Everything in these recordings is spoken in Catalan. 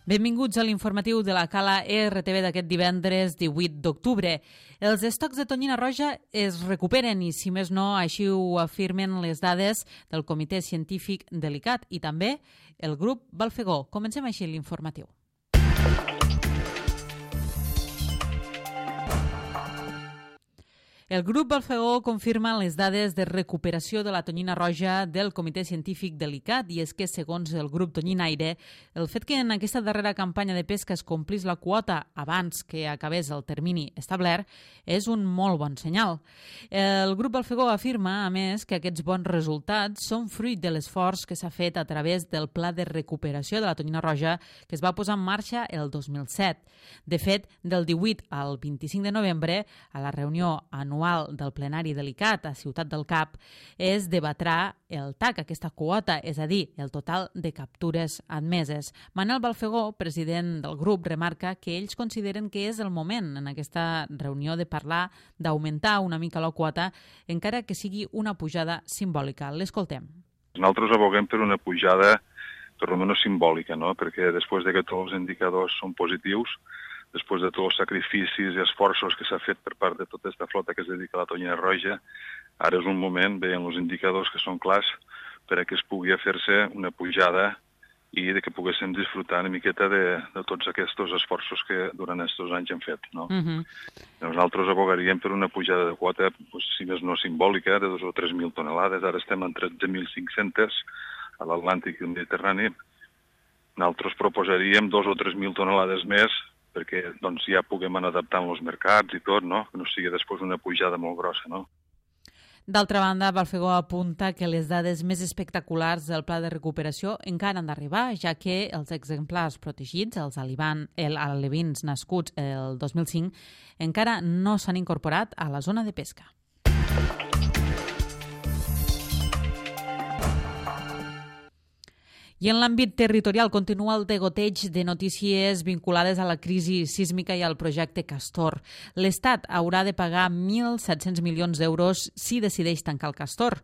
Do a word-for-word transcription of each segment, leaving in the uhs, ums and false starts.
Benvinguts a l'informatiu de la Cala R T V d'aquest divendres divuit d'octubre. Els estocs de tonyina roja es recuperen i, si més no, així ho afirmen les dades del Comitè Científic de l'I C A T i també el grup Balfegó. Comencem així l'informatiu. El grup Balfegó confirma les dades de recuperació de la tonyina roja del Comitè Científic de l'I C A T i és que, segons el grup Tonyinaire, el fet que en aquesta darrera campanya de pesca es complís la quota abans que acabés el termini establert és un molt bon senyal. El grup Balfegó afirma, a més, que aquests bons resultats són fruit de l'esforç que s'ha fet a través del Pla de Recuperació de la Tonyina Roja que es va posar en marxa el dos mil set. De fet, del divuit al vint-i-cinc de novembre, a la reunió anual del plenari de l'I C A T a Ciutat del Cap, es debatrà el T A C, aquesta quota, és a dir, el total de captures admeses. Manel Balfegó, president del grup, remarca que ells consideren que és el moment en aquesta reunió de parlar d'augmentar una mica la quota, encara que sigui una pujada simbòlica. L'escoltem. Nosaltres aboguem per una pujada per almenys simbòlica, no? Perquè després de que tots els indicadors són positius, després de tots els sacrificis i esforços que s'ha fet per part de tota aquesta flota que es dedica a la tonyina roja, ara és un moment, veient els indicadors que són clars, per a que es pugui fer-se una pujada i de que poguéssim disfrutar una miqueta de, de tots aquests esforços que durant aquests anys hem fet. No? Uh-huh. Nosaltres abogaríem per una pujada de quota, doncs, si més no simbòlica, de dos o tres mil tonelades. Ara estem en tretze mil cinc-cents a l'Atlàntic i el Mediterrani. Nosaltres proposaríem dos o tres mil tonelades més perquè doncs, ja puguem anar adaptant els mercats i tot, no? Que no sigui després una pujada molt grossa, no? D'altra banda, Balfegó apunta que les dades més espectaculars del pla de recuperació encara han d'arribar, ja que els exemplars protegits, els alevins nascuts el dos mil cinc, encara no s'han incorporat a la zona de pesca. I en l'àmbit territorial continua el degoteig de notícies vinculades a la crisi sísmica i al projecte Castor. L'Estat haurà de pagar mil set-cents milions d'euros si decideix tancar el Castor.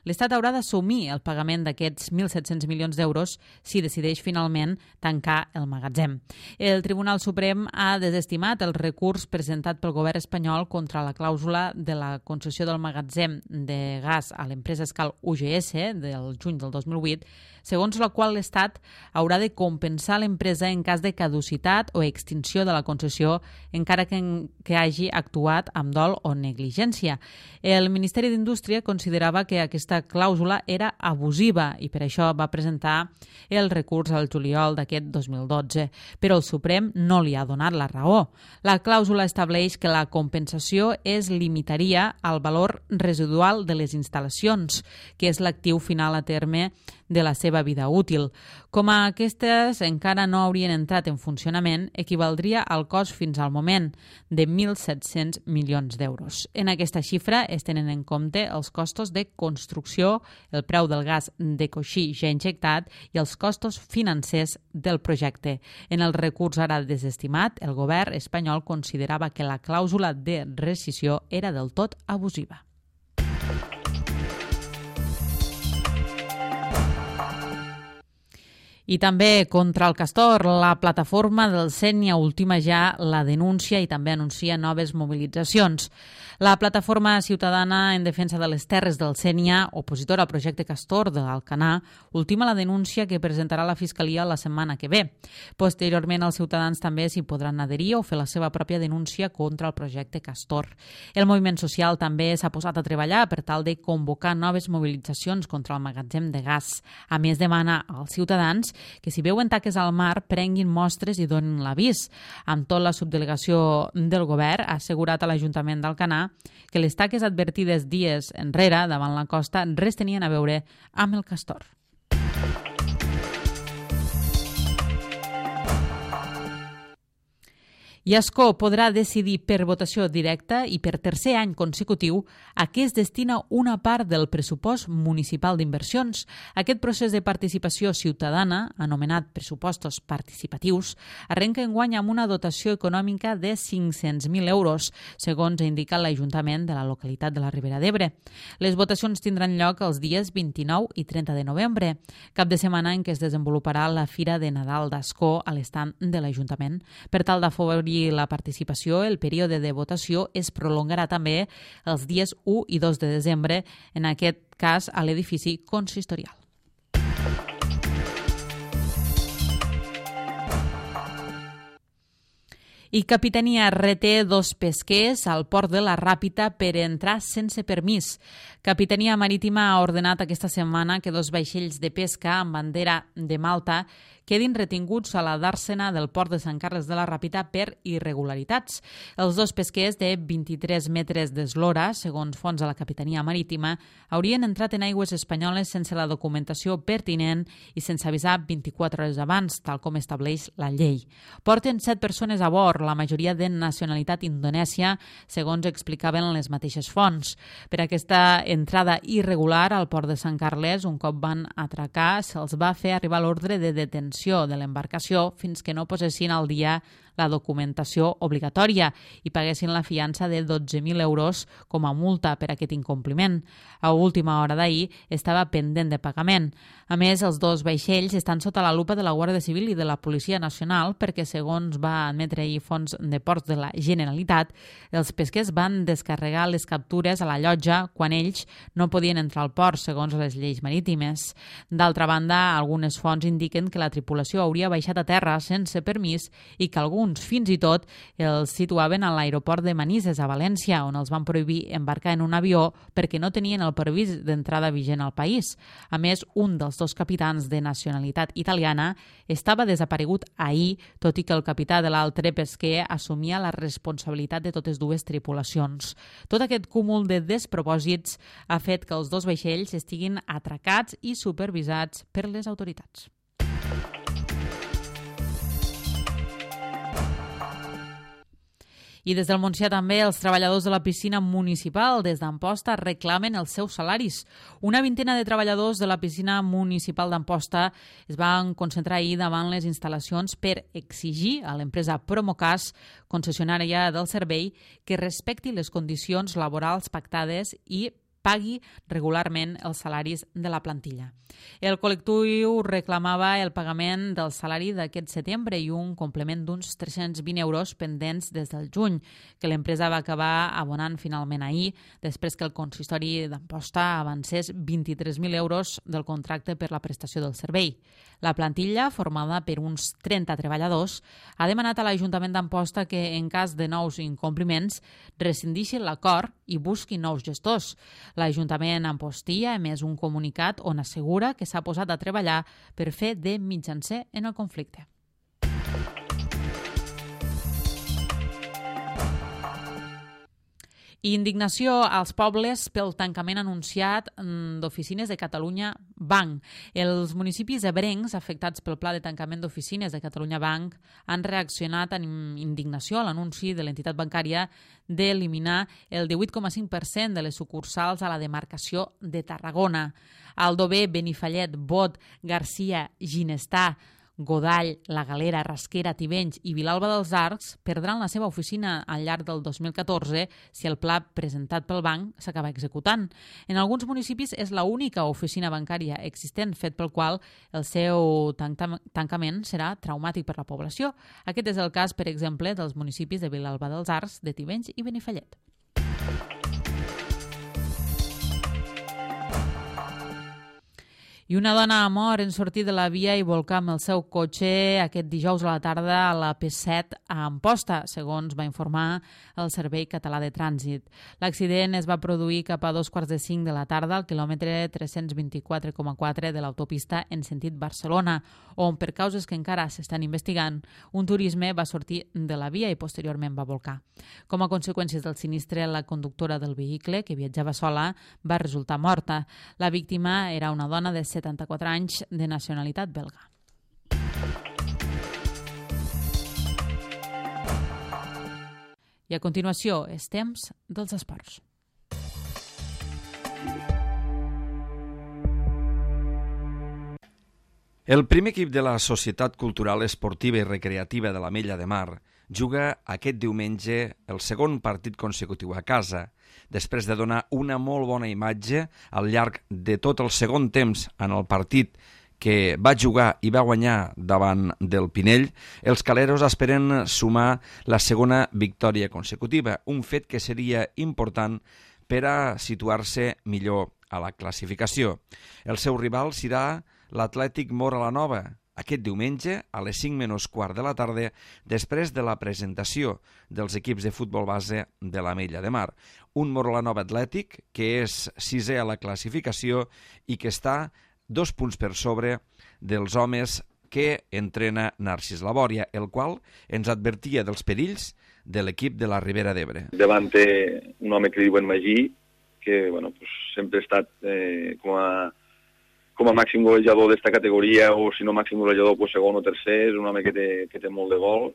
L'Estat haurà d'assumir el pagament d'aquests mil set-cents milions d'euros si decideix finalment tancar el magatzem. El Tribunal Suprem ha desestimat el recurs presentat pel govern espanyol contra la clàusula de la concessió del magatzem de gas a l'empresa Escal U G S del juny del dos mil vuit, segons la qual l'Estat haurà de compensar l'empresa en cas de caducitat o extinció de la concessió, encara que, que hagi actuat amb dol o negligència. El Ministeri d'Indústria considerava que aquesta clàusula era abusiva i per això va presentar el recurs al juliol d'aquest dos mil dotze, però el Suprem no li ha donat la raó. La clàusula estableix que la compensació es limitaria al valor residual de les instal·lacions, que és l'actiu final a terme de la seva vida útil. Com a aquestes encara no haurien entrat en funcionament, equivaldria al cost fins al moment de mil set-cents milions d'euros. En aquesta xifra es tenen en compte els costos de construcció, el preu del gas de coixí ja injectat i els costos financers del projecte. En el recurs ara desestimat, el govern espanyol considerava que la clàusula de rescissió era del tot abusiva. I també contra el Castor, la plataforma del Sénia ultima ja la denúncia i també anuncia noves mobilitzacions. La plataforma ciutadana en defensa de les terres del Sénia, opositora al projecte Castor de l'Alcanar, ultima la denúncia que presentarà la Fiscalia la setmana que ve. Posteriorment, els ciutadans també s'hi podran adherir o fer la seva pròpia denúncia contra el projecte Castor. El moviment social també s'ha posat a treballar per tal de convocar noves mobilitzacions contra el magatzem de gas. A més, demana als ciutadans que si veuen taques al mar prenguin mostres i donin l'avís. Amb tot, la subdelegació del govern ha assegurat a l'Ajuntament d'Alcanar que les taques advertides dies enrere davant la costa res tenien a veure amb el Castor. I Ascó podrà decidir per votació directa i per tercer any consecutiu a què es destina una part del pressupost municipal d'inversions. Aquest procés de participació ciutadana, anomenat pressupostos participatius, arrenca enguany amb una dotació econòmica de cinc-cents mil euros, segons ha indicat l'Ajuntament de la localitat de la Ribera d'Ebre. Les votacions tindran lloc els dies vint-i-nou i trenta de novembre, cap de setmana en què es desenvoluparà la Fira de Nadal d'Ascó a l'estand de l'Ajuntament. Per tal d'afavorir la participació, el període de votació es prolongarà també els dies u i dos de desembre, en aquest cas a l'edifici consistorial. I Capitania reté dos pesquers al port de la Ràpita per entrar sense permís. Capitania Marítima ha ordenat aquesta setmana que dos vaixells de pesca amb bandera de Malta quedin retinguts a la dàrsena del port de Sant Carles de la Ràpita per irregularitats. Els dos pesquers de vint-i-tres metres d'eslora, segons fonts de la Capitania Marítima, haurien entrat en aigües espanyoles sense la documentació pertinent i sense avisar vint-i-quatre hores abans, tal com estableix la llei. Porten set persones a bord, la majoria de nacionalitat indonèsia, segons explicaven les mateixes fonts. Per aquesta entrada irregular al port de Sant Carles, un cop van atracar, se'ls va fer arribar l'ordre de detenció de l'embarcació fins que no posessin al dia la documentació obligatòria i paguessin la fiança de dotze mil euros com a multa per aquest incompliment. A última hora d'ahir estava pendent de pagament. A més, els dos vaixells estan sota la lupa de la Guàrdia Civil i de la Policia Nacional perquè, segons va admetre ahir Fons de Ports de la Generalitat, els pesquers van descarregar les captures a la llotja quan ells no podien entrar al port, segons les lleis marítimes. D'altra banda, algunes fonts indiquen que la tripulació hauria baixat a terra sense permís i que alguns fins i tot els situaven a l'aeroport de Manises, a València, on els van prohibir embarcar en un avió perquè no tenien el permís d'entrada vigent al país. A més, un dels dos capitans de nacionalitat italiana estava desaparegut ahir, tot i que el capità de l'altre pesquer assumia la responsabilitat de totes dues tripulacions. Tot aquest cúmul de despropòsits ha fet que els dos vaixells estiguin atracats i supervisats per les autoritats. I des del Montsià també els treballadors de la piscina municipal des d'Amposta reclamen els seus salaris. Una vintena de treballadors de la piscina municipal d'Amposta es van concentrar ahir davant les instal·lacions per exigir a l'empresa Promocas, concessionària del servei, que respecti les condicions laborals pactades i pagui regularment els salaris de la plantilla. El col·lectiu reclamava el pagament del salari d'aquest setembre i un complement d'uns tres-cents vint euros pendents des del juny, que l'empresa va acabar abonant finalment ahir, després que el consistori d'Amposta avancés vint-i-tres mil euros del contracte per la prestació del servei. La plantilla, formada per uns trenta treballadors, ha demanat a l'Ajuntament d'Amposta que, en cas de nous incompliments, rescindeixi l'acord i busqui nous gestors. L'Ajuntament Ampostí ha emès un comunicat on assegura que s'ha posat a treballar per fer de mitjancer en el conflicte. I indignació als pobles pel tancament anunciat d'oficines de Catalunya Banc. Els municipis ebrencs afectats pel pla de tancament d'oficines de Catalunya Banc han reaccionat amb indignació a l'anunci de l'entitat bancària d'eliminar el divuit coma cinc per cent de les sucursals a la demarcació de Tarragona. Aldover, Benifallet, Bot, Garcia, Ginestà, Godall, La Galera, Rasquera, Tivenys i Vilalba dels Arcs perdran la seva oficina al llarg del dos mil catorze si el pla presentat pel banc s'acaba executant. En alguns municipis és l'única oficina bancària existent, fet pel qual el seu tancament serà traumàtic per la població. Aquest és el cas, per exemple, dels municipis de Vilalba dels Arcs, de Tivenys i Benifallet. I una dona ha mort en sortir de la via i volcar amb el seu cotxe aquest dijous a la tarda a la P set a Amposta, segons va informar el Servei Català de Trànsit. L'accident es va produir cap a dos quarts de cinc de la tarda al quilòmetre tres-cents vint-i-quatre coma quatre de l'autopista en sentit Barcelona, on, per causes que encara s'estan investigant, un turisme va sortir de la via i posteriorment va volcar. Com a conseqüències del sinistre, la conductora del vehicle, que viatjava sola, va resultar morta. La víctima era una dona de setanta-quatre anys de nacionalitat belga. I a continuació, és temps dels esports. El primer equip de la Societat Cultural Esportiva i Recreativa de l'Ametlla de Mar juga aquest diumenge el segon partit consecutiu a casa, després de donar una molt bona imatge al llarg de tot el segon temps en el partit que va jugar i va guanyar davant del Pinell. Els caleros esperen sumar la segona victòria consecutiva, un fet que seria important per a situar-se millor a la classificació. El seu rival serà l'Atlètic Móra la Nova, aquest diumenge a les cinc menys quart de la tarda, després de la presentació dels equips de futbol base de l'Ametlla de Mar. Un Móra la Nova Atlètic que és sisè a la classificació i que està dos punts per sobre dels homes que entrena Narcís Labòria, el qual ens advertia dels perills de l'equip de la Ribera d'Ebre. Davant té un home que diuen Magí, que bueno, pues, sempre ha estat eh, com a com a màxim golejador d'esta categoria, o si no màxim golejador, pues, segon o tercer, és un home que té, que té molt de gol.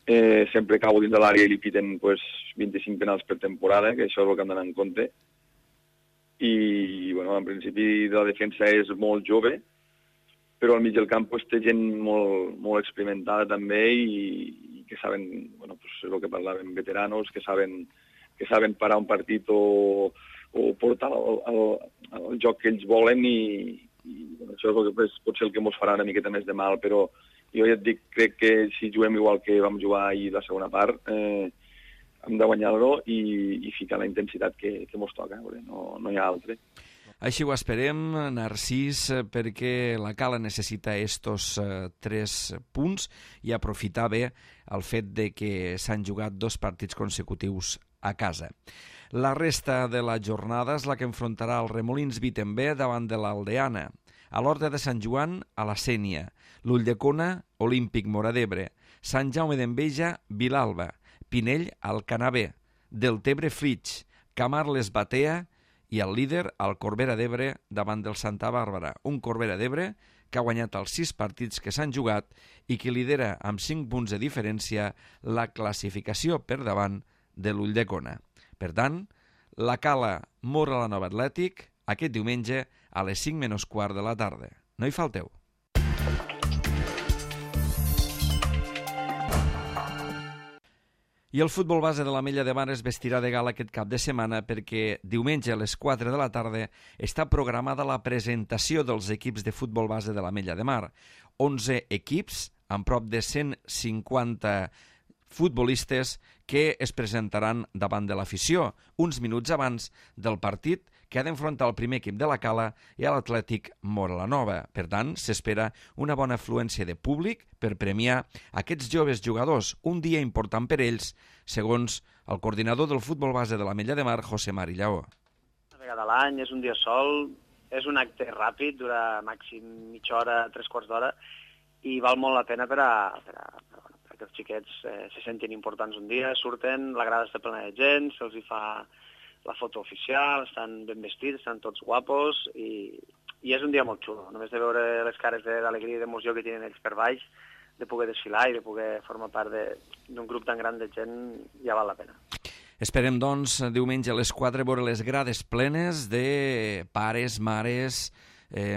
Eh, sempre cau dins de l'àrea i li piten pues, vint-i-cinc penals per temporada, que això és el que han d'anar en compte. I, bueno, en principi la defensa és molt jove, però al mig del camp pues, té gent molt, molt experimentada també i, i que saben, bueno, pues, el que parlàvem, veteranos, que saben, que saben parar un partit o o portar el, el, el joc que ells volen i, i bueno, això és el que és, potser el que ens farà una miqueta més de mal, però jo ja et dic, crec que si juguem igual que vam jugar ahir la segona part, eh, hem de guanyar-lo i, i ficar la intensitat que, que ens toca, no, no hi ha altre. Així ho esperem, Narcís, perquè la Cala necessita estos eh, tres punts i aprofitar bé el fet de que s'han jugat dos partits consecutius a casa. La resta de la jornada és la que enfrontarà el Remolins Vitember davant de l'Aldeana, a l'Horta de Sant Joan a la Sénia, l'Ulldecona Olímpic Móra d'Ebre, Sant Jaume d'Enveja Vilalba, Pinell Alcanavè, Deltebre Flix, Camarles Batea i el líder al Corbera d'Ebre davant del Santa Bàrbara, un Corbera d'Ebre que ha guanyat els sis partits que s'han jugat i que lidera amb cinc punts de diferència la classificació per davant de l'Ulldecona. Per tant, la Cala Móra la Nova Atlètic aquest diumenge a les cinc menys quart de la tarda. No hi falteu. I el futbol base de l'Ametlla de Mar es vestirà de gala aquest cap de setmana perquè diumenge a les quatre de la tarda està programada la presentació dels equips de futbol base de l'Ametlla de Mar. onze equips amb prop de cent cinquanta futbolistes que es presentaran davant de l'afició uns minuts abans del partit que ha d'enfrontar el primer equip de la Cala i l'Atlètic Móra la Nova. Per tant, s'espera una bona afluència de públic per premiar aquests joves jugadors, un dia important per ells, segons el coordinador del futbol base de l'Ametlla de Mar, José Mari Lleó. Una vegada a l'any, és un dia sol, és un acte ràpid, dura màxim mitja hora, tres quarts d'hora, i val molt la pena per a, per a, per a que els xiquets eh, se sentin importants un dia, surten, la grada està plena de gent, se'ls hi fa la foto oficial, estan ben vestits, estan tots guapos i, i és un dia molt xulo. Només de veure les cares d'alegria i d'emoció que tenen ells per baix, de poder desfilar i de poder formar part d'un grup tan gran de gent, ja val la pena. Esperem, doncs, diumenge a les quatre veure les grades plenes de pares, mares, eh,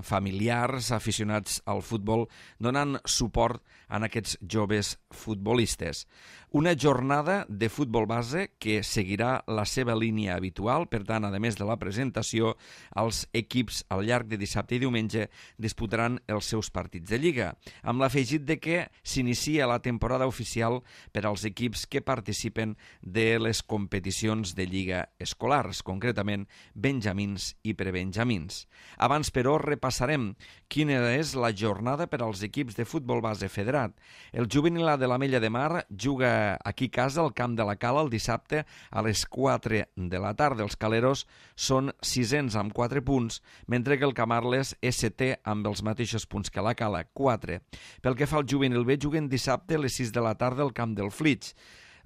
familiars, aficionats al futbol, donant suport a aquests joves futbolistes. Una jornada de futbol base que seguirà la seva línia habitual, per tant, a més de la presentació, els equips al llarg de dissabte i diumenge disputaran els seus partits de Lliga, amb l'afegit de que s'inicia la temporada oficial per als equips que participen de les competicions de Lliga escolars, concretament benjamins i prebenjamins. Abans, però, repassarem quina és la jornada per als equips de futbol base federat. El juvenil de l'Ametlla de Mar juga aquí a casa al camp de la Cala el dissabte a les quatre de la tarda. Els caleros són sisens amb quatre punts, mentre que el Camarles és setè amb els mateixos punts que la Cala, quatre. Pel que fa al juvenil B, juguen dissabte a les sis de la tarda al camp del Flix.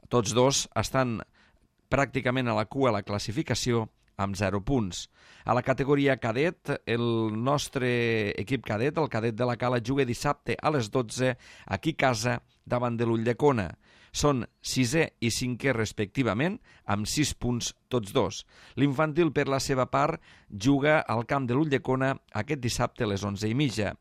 Tots dos estan pràcticament a la cua a la classificació amb zero punts. A la categoria cadet, el nostre equip cadet, el cadet de la Cala, juga dissabte a les dotze aquí a casa davant de l'Ulldecona. Són sisè i cinquè respectivament, amb sis punts tots dos. L'infantil, per la seva part, juga al camp de l'Ulldecona aquest dissabte a les onze i mitja.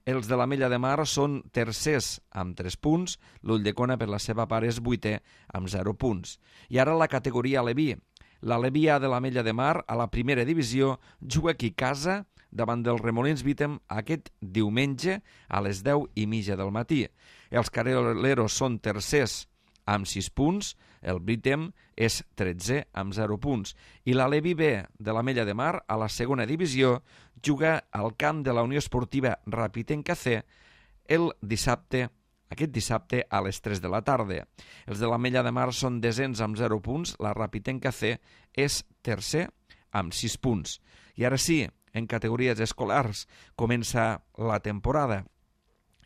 Els de l'Ametlla de Mar són tercers amb tres punts, l'Ulldecona per la seva part és vuitè amb zero punts. I ara la categoria Aleví. L'Aleví A de l'Ametlla de Mar, a la primera divisió, juga aquí a casa davant dels Remolins Vítem aquest diumenge a les deu i mitja del matí. Els carreleros són tercers amb sis punts, el Vítem és tretzè amb zero punts. I l'Aleví B de l'Ametlla de Mar, a la segona divisió, juga al camp de la Unió Esportiva Rapitenca C el dissabte, aquest dissabte a les tres de la tarda. Els de l'Ametlla de Mar són desens amb zero punts, la Rapitenca C és tercer amb sis punts. I ara sí, en categories escolars, comença la temporada.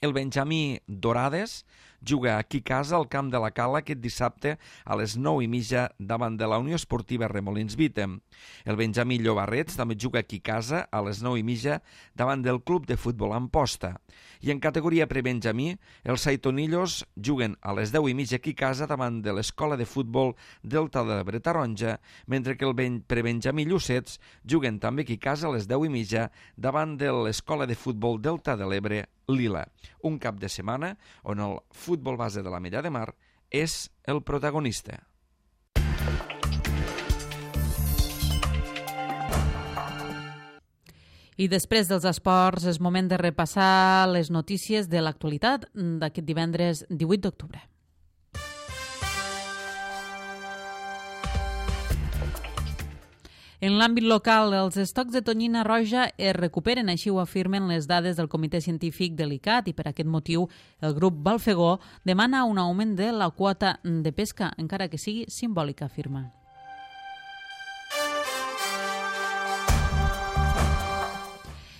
El Benjamí Dorades juga aquí a casa al camp de la Cala aquest dissabte a les nou i mitja davant de la Unió Esportiva Remolins Vítem. El Benjamí Llobarrets també juga aquí a casa a les nou i mitja davant del Club de Futbol Amposta. I en categoria prebenjamí, els Saitonillos juguen a les deu i mitja aquí a casa davant de l'Escola de Futbol Delta de l'Ebre Taronja, mentre que el prebenjamí Llucets juguen també aquí a casa a les deu i mitja davant de l'Escola de Futbol Delta de l'Ebre Lila. Un cap de setmana on el futbol base de l'Ametlla de Mar és el protagonista. I després dels esports és moment de repassar les notícies de l'actualitat d'aquest divendres divuit d'octubre. En l'àmbit local, els estocs de tonyina roja es recuperen, així ho afirmen les dades del Comitè Científic de l'I C A T, i per aquest motiu el grup Balfegó demana un augment de la quota de pesca, encara que sigui simbòlica, afirma.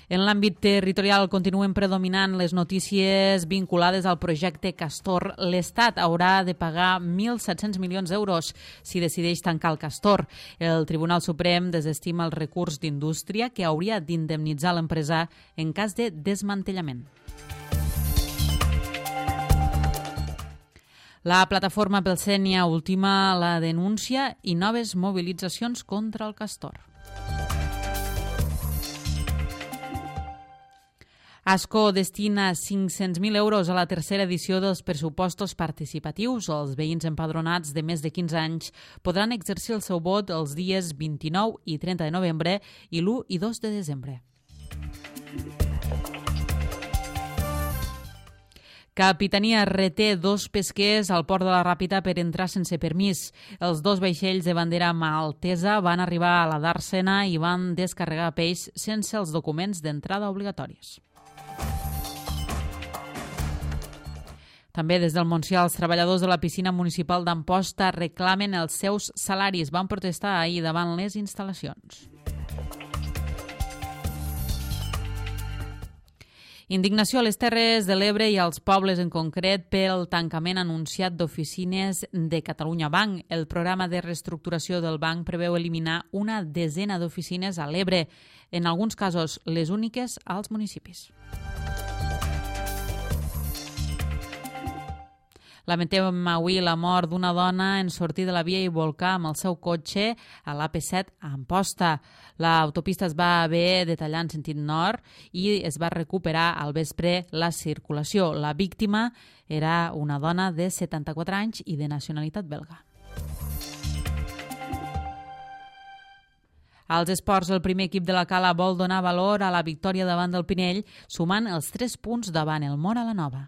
En l'àmbit territorial continuen predominant les notícies vinculades al projecte Castor. L'Estat haurà de pagar mil set-cents milions d'euros si decideix tancar el Castor. El Tribunal Suprem desestima el recurs d'Indústria que hauria d'indemnitzar l'empresa en cas de desmantellament. La plataforma pel Sénia ultima la denúncia i noves mobilitzacions contra el Castor. Ascó destina cinc-cents mil euros a la tercera edició dels pressupostos participatius. Els veïns empadronats de més de quinze anys podran exercir el seu vot els dies vint-i-nou i trenta de novembre i l'u i dos de desembre. Capitania reté dos pesquers al port de la Ràpita per entrar sense permís. Els dos vaixells de bandera maltesa van arribar a la Dàrsena i van descarregar peix sense els documents d'entrada obligatoris. També des del Montsià, els treballadors de la piscina municipal d'Amposta reclamen els seus salaris. Van protestar ahir davant les instal·lacions. Indignació a les Terres de l'Ebre i als pobles en concret pel tancament anunciat d'oficines de Catalunya Banc. El programa de reestructuració del banc preveu eliminar una desena d'oficines a l'Ebre, en alguns casos les úniques als municipis. Lamentem avui la mort d'una dona en sortir de la via i volcar amb el seu cotxe a l'A P set a Amposta. L'autopista es va haver de tallar en sentit nord i es va recuperar al vespre la circulació. La víctima era una dona de setanta-quatre anys i de nacionalitat belga. Als esports, el primer equip de la Cala vol donar valor a la victòria davant del Pinell, sumant els tres punts davant el Móra la Nova.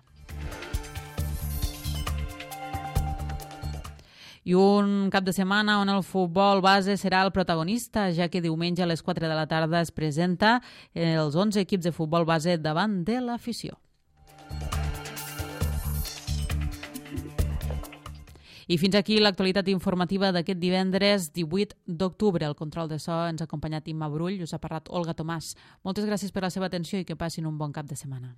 I un cap de setmana on el futbol base serà el protagonista, ja que diumenge a les quatre de la tarda es presenta els onze equips de futbol base davant de l'afició. I fins aquí l'actualitat informativa d'aquest divendres divuit d'octubre. El control de so ens ha acompanyat Imma Brull, us ha parlat Olga Tomàs. Moltes gràcies per la seva atenció i que passin un bon cap de setmana.